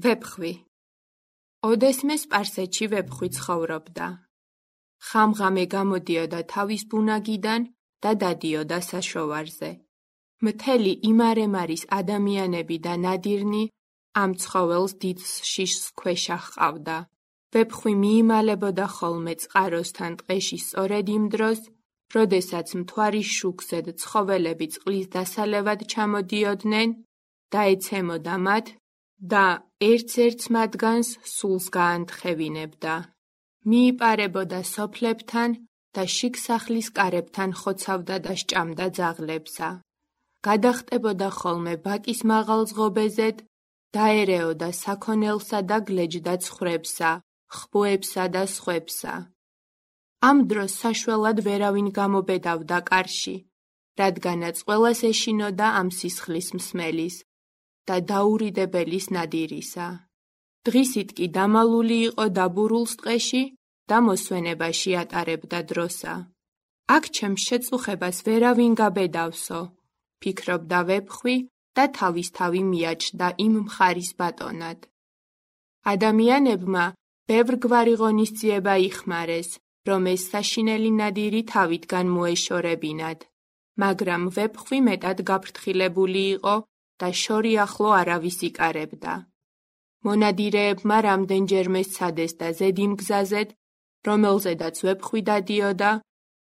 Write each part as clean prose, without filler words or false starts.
ვეფხვი. ოდესმე სპარსეთში ვეფხვი ცხოვრობდა. ხამღამე გამოდიოდა თავის ბუნაგიდან და დადიოდა საშოვარზე. მთელი იმარემარის ადამიანები და ნადირნი ამ ცხოველს დიდ შიშს ქვეშ ჰყავდა. ვეფხვი მიიმალებოდა ხოლმე წყაროსთან ტყეში სწორედ იმ დროს, როდესაც მთვარის შუქზედ ცხოველები წყლის დასალევად ჩამოდიოდნენ და ეცემოდა მათ და ერთ-ერთს მათგანს სულს გაანთხევინებდა. მიიპარებოდა სოფლებთან და შიგ სახლის კარებთან ხოცავდა და სჭამდა ძაღლებსა. გადახტებოდა ხოლმე ბაკის მაღალ ზღობეზედ, დაერეოდა საქონელსა და გლეჯდა ცხვრებსა, ხბოებსა და სხვებსა. ამ დროს საშველად ვერავინ გამობედავდა კარში, რადგანაც ყველას ეშინოდა ამ სისხლის მსმელის და დაურიდებელის ნადირისა. დღისით კი დამალული იყო დაბურულს ტყეში და მოსვენებაში ატარებდა დროსა. აქ ჩემს შეწუხებას ვერავინ გაბედავსო, ფიქრობდა ვეფხვი და თავისთავი მიაჩნდა იმ მხარის ბატონად. ადამიანებმა ბევრგვარი ღონისძიება იხმარეს, რომ ეს საშინელი ნადირი თავიდან მოეშორებინათ, მაგრამ ვეფხვი მეტად გაფრთხილებული იყო და შორი ახლო არავის იკარებდა. მონადირეებმა რამდენჯერმე სცადეს და ზედი მგზაზედ, რომელზედაც ვეფხვი დადიოდა,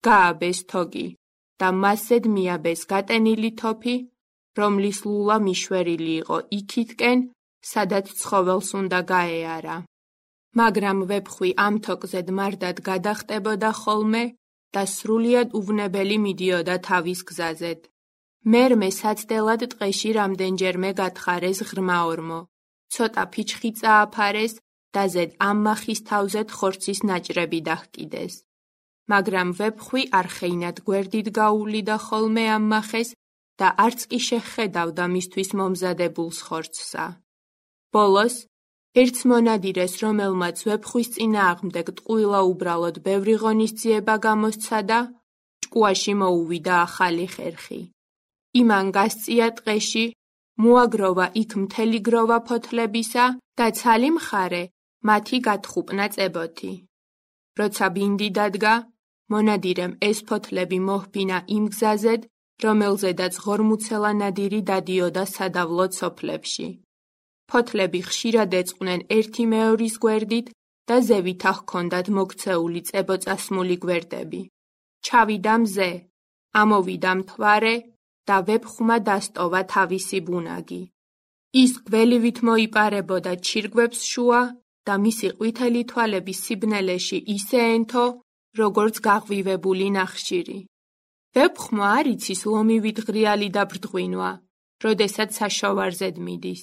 გააბეს თოგი და მასზედ მიაბეს გატენილი თოფი, რომლის ლულა მიშვერილი იყო იქითკენ, სადაც ცხოველს უნდა გაეარა. მაგრამ ვეფხვი ამ თოკზედ მარტად გადახტებოდა ხოლმე და სრულიად უვნებელი მიდიოდა თავის გზაზედ. მერმე საცდელად ტყეში რამდენჯერმე გათხარეს ღრმა ორმო, ცოტა ფიჩხი წააფარეს და ზედ ამ მახის თავზედ ხორცის ნაჭრები დაჰკიდეს. მაგრამ ვეფხვი არხეინად გვერდით გაუვლიდა ხოლმე ამ მახეს და არც კი შეხედავდა მისთვის მომზადებულს ხორცსა. ბოლოს, ერთს მონადირეს, რომელმაც ვეფხვის წინააღმდეგ ტყუილა უბრალოდ ბევრი ღონისძიება გამოსცადა, ჭკუაში მოუვიდა ახალი ხერხი. იმან გასწია ტყეში, მოაგროვა იქ მთელი გროვა ფოთლებისა და ცალი მხარე მათი გათხუპნა წებოთი. როცა ბინდი დადგა, მონადირემ ეს ფოთლები მოჰბინა იმ გზაზედ, რომელზედაც ღორმუცელა ნადირი დადიოდა სადავლო სოფლებში. ფოთლები ხშირად ეწყნენ ერთი მეორის გვერდით და ზევითა ჰქონდათ მოქცეული წებოწასმული გვერდები. ჩავიდა მზე, ამოვიდა მთვარე და ვეფხვმა დასტოვა თავისი ბუნაგი. ის გველივით მოიპარებოდა ჩირგვებს შუა და მისი ყვითელი თვალები სიბნელეში ისე ენთო, როგორც გაღვივებული ნახშირი. ვეფხვმა არ იცის ლომივით ღრიალი და ბრდღვინვა, როდესაც საშოვარზედ მიდის.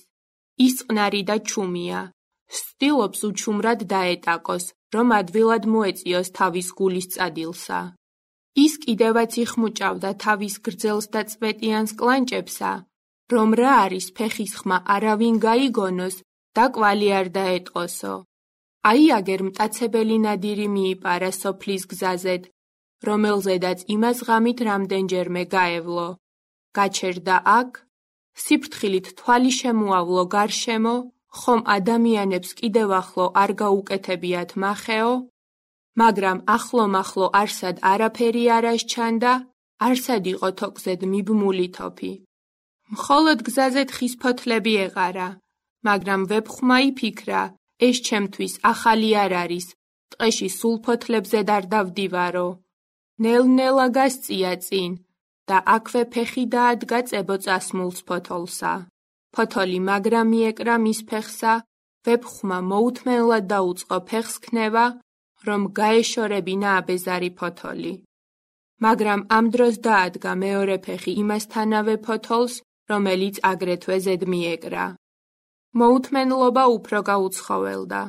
ის წყნარი და ჩუმია, ცდილობს უჩუმრად დაეტაკოს, რომ ადვილად მოეწიოს თავის გულის წადილსა. ის კიდევაც იხმუჭავდა თავის გრძელს და წვეტიანს კლანჭებსა, რომ რა არის ფეხის ხმა არავინ გაიგონოს და კვალი არ დაეტყოსო. აი აგერ მტაცებელი ნადირი მიიპარა სოფლის გზაზედ, რომელზედაც იმას ღამით რამდენჯერმე გაევლო. გაჩერდა აქ, სიფრთხილით თვალი შემოავლო გარშემო, ხომ ადამიანებს კიდევ ახლო არ გაუკეთებიათ მახეო, მაგრამ ახლო-მახლო არსად არაფერი არ ასჩანდა, არსად იყო თოკზედ მიბმული თოფი. მხოლოდ გზაზე თხის ფოთლები ეყარა, მაგრამ ვეფხვმა იფიქრა, ეს ჩემთვის ახალი არ არის, ტყეში სულ ფოთლებზე არ დავდივარო. ნელ-ნელა გასწია წინ და აქვე ფეხი დაადგა წებოწასმულს ფოთოლსა. ფოთოლი მაგრა მიეკრა მის ფეხსა, ვეფხვმა მოუთმენლად დაუწყო ფეხს ქნება, რომ გაეშორებინა აბეზარი ფოთოლი. მაგრამ ამ დროს დაადგა მეორე ფეხი იმასთანავე ფოთოლს, რომელიც აგრეთვე ზედ მიეკრა. მოუთმენლობა უფრო გაუცხოველდა.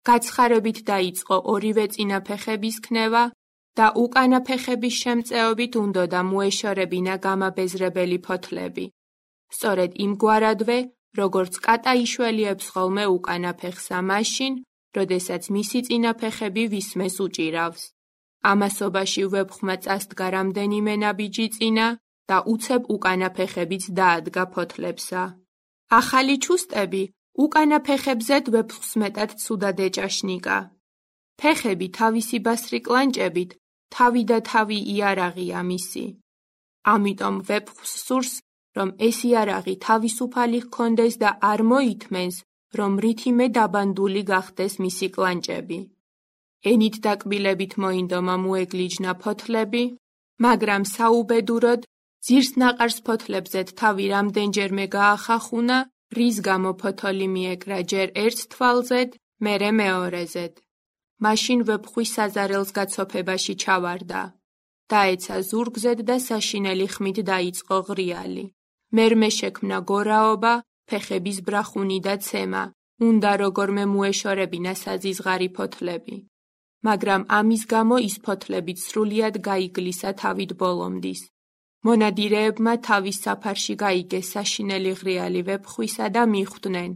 გაცხარებით დაიწყო ორივე წინა ფეხების ქნება და უკანა ფეხების შემწეობით უნდოდა მოეშორებინა გამაბეზრებელი ფოთლები. სწორედ იმგვარადვე, როგორც კატა იშველიებს ხოლმე უკანა ფეხსა მაშინ, როდესაც მისი წინა ფეხები ვისმეს უჭირავს. ამასობაში ვეფხვმა წასდგა რამდენიმე ნაბიჯი წინა და უცებ უკანა ფეხებიც დაადგა ფოთლებსა. ახალი ჩუსტები უკანა ფეხებზედ ვეფხვს მეტად ცუდად ეჭაშნიკა. ფეხები თავისი ბასრი კლანჭებით, თავი და თავი იარაღია მისი. ამიტომ ვეფხვს სურს, რომ ეს იარაღი თავისუფალი ჰქონდეს და არ მოითმენს, რომ რითიმე დაბანდული გახდეს მისი კლანჭები. ენით დაკბილებით მოინდომა მოეგლიჯნა ფოთლები, მაგრამ საუბედუროდ ძირს ნაყარს ფოთლებზედ თავი რამდენჯერმე გაახახუნა, რის გამო ფოთოლი მიეკრა ჯერ ერთ თვალზედ, მერე მეორეზედ. მაშინ ვეფხვი საზარელს გაცოფებაში ჩავარდა. დაეცა ზურგზედ და საშინელი ხმით დაიწყო ღრიალი. მერმე შექმნა გორაობა, ფეხების ბრახუნი და ცემა, უნდა როგორმე მოეშორებინა საზიზღარი ფოთლები. მაგრამ ამის გამო ის ფოთლებიც სრულიად გაიგლისა თავით ბოლომდის. მონადირეებმა თავის საფარში გაიგეს საშინელი ღრიალი ვეფხვისა და მიხვდნენ,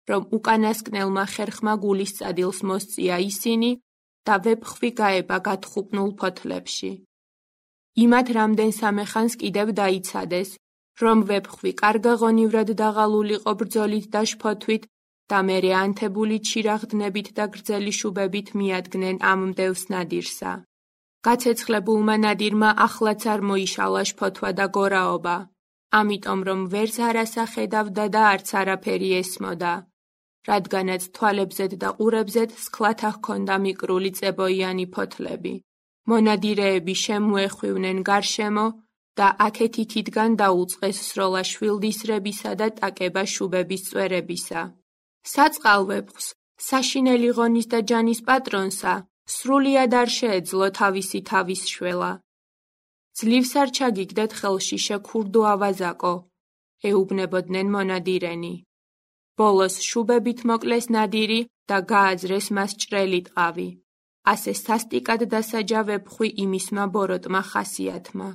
რომ უკანასკნელმა ხერხმა გულის წადილს მოსწია ისინი და ვეფხვი გაება გათხუპნულ ფოთლებში. იმათ რამდენსამე ხანს კიდევ დაიცადეს, რომ ვეფხვი კარგაღონივრად დაღალულიყო ბრძოლით და შფოთვით და მერე ანთებული ჩირაღდნებით და გრძელი შუბებით მიადგნენ ამ მდევს ნადირსა. გაცეცხლებულმა ნადირმა ახლაც არ მოიშალა შფოთვა და გორაობა, ამიტომ რომ ვერც არას ახედავდა და არც არაფერი ესმოდა, რადგანაც თვალებზედ და ყურებზედ სქლათა ჰქონდა მიკრული წებოიანი ფოთლები. მონადირეები შემოეხვივნენ გარშემო და აქეთ-იქითგან დაუწყეს სროლა შვილდისრებისა და ტაკება შუბების წვერებისა. საწყალ ვეფხვს, საშინელი ღონის და ჯანის პატრონსა, სრულიად არ შეეძლო თავისი თავის შველა. ძლივს არ ჩაგიგდეთ ხელში შექურდო ავაზაკო, ეუბნებოდნენ მონადირენი. ბოლოს შუბებით მოკლეს ნადირი და გააძრეს მას ჭრელი ტყავი. ასე სასტიკად დასაჯა ვეფხვი იმისმა ბოროტმა ხასიათმა.